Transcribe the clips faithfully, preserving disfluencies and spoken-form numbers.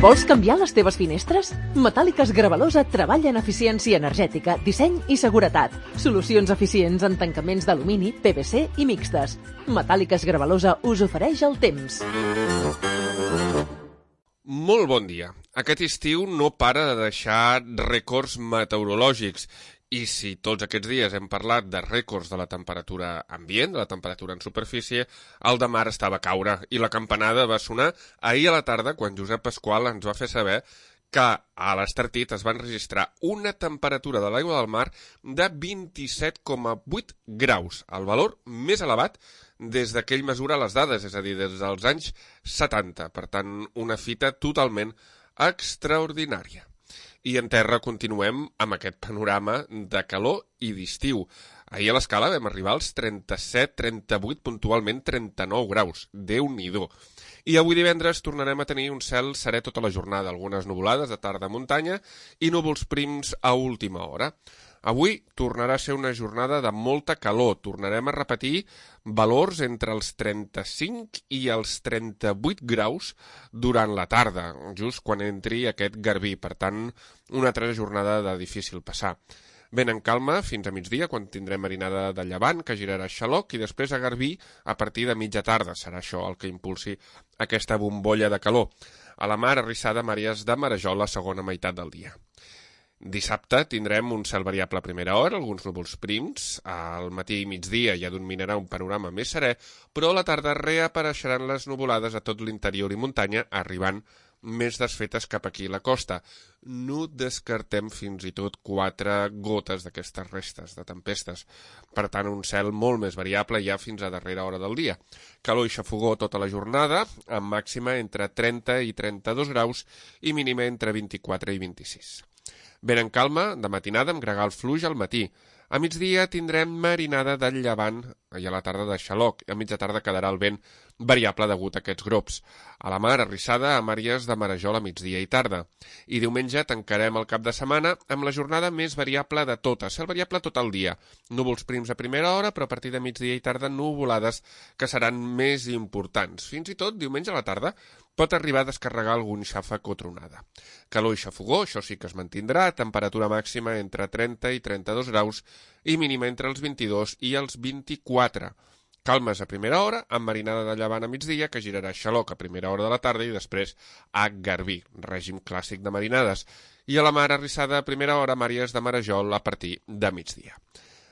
Vols canviar les teves finestres? Metàl·liques Gravalosa treballa en eficiència energètica, disseny i seguretat. Solucions eficients en tancaments d'alumini, P V C i mixtes. Metàl·liques Gravalosa us ofereix el temps. Molt bon dia. Aquest estiu no para de deixar rècords meteorològics. I si tots aquests dies hem parlat de rècords de la temperatura ambient, de la temperatura en superfície, el de mar estava a caure i la campanada va sonar ahir a la tarda quan Josep Pasqual ens va fer saber que a l'Estartit es van registrar una temperatura de l'aigua del mar de vint-i-set coma vuit graus, el valor més elevat des que ell mesura les dades, és a dir, des dels anys setanta. Per tant, una fita totalment extraordinària. I en terra continuem amb aquest panorama de calor i d'estiu. Ahir a l'escala vam arribar als trenta-set, trenta-vuit, puntualment trenta-nou graus. Déu-n'hi-do. I avui divendres tornarem a tenir un cel serè tota la jornada, algunes nuvolades de tarda a muntanya i núvols prims a última hora. Avui tornarà a ser una jornada de molta calor. Tornarem a repetir valors entre els trenta-cinc i els trenta-vuit graus durant la tarda, just quan entri aquest garbí. Per tant, una altra jornada de difícil passar. Ben en calma fins a migdia, quan tindrem marinada de llevant, que girarà a xaloc, i després a garbí a partir de mitja tarda. Serà això el que impulsi aquesta bombolla de calor. A la mar, arrissada Màries de Marajol la segona meitat del dia. Dissabte tindrem un cel variable a primera hora, alguns núvols prims, al matí i migdia ja dominarà un panorama més serè, però a la tarda reapareixeran les nuvolades a tot l'interior i muntanya, arribant més desfetes cap aquí a la costa. No descartem fins i tot quatre gotes d'aquestes restes de tempestes. Per tant, un cel molt més variable ja fins a darrera hora del dia. Calor i xafogó tota la jornada, amb màxima entre trenta i trenta-dos graus i mínima entre vint-i-quatre i vint-i-sis. Ben en calma, de matinada, amb gregal fluix al matí. A migdia tindrem marinada de llevant i a la tarda de xaloc. A mitja tarda quedarà el vent variable degut a aquests grops. A la mar, arrissada a Màries de Marajol a migdia i tarda. I diumenge tancarem el cap de setmana amb la jornada més variable de totes. Cel variable tot el dia. Núvols prims a primera hora, però a partir de migdia i tarda nuvolades que seran més importants. Fins i tot, diumenge a la tarda, pot arribar a descarregar algun xàfec o tronada. Calor i xafogó, això sí que es mantindrà, temperatura màxima entre trenta i trenta-dos graus i mínima entre els vint-i-dos i els vint-i-quatre. Calmes a primera hora, amb marinada de llevant a migdia, que girarà a xaloc a primera hora de la tarda i després a garbí, règim clàssic de marinades. I a la mar arrissada a primera hora, Màries de Marajol a partir de migdia.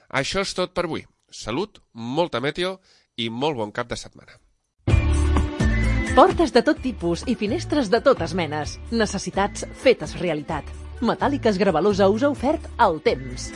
Això és tot per avui. Salut, molta meteo i molt bon cap de setmana. Portes de tot tipus i finestres de totes menes. Necessitats fetes realitat. Metàl·liques Gravalosa us ha ofert el temps.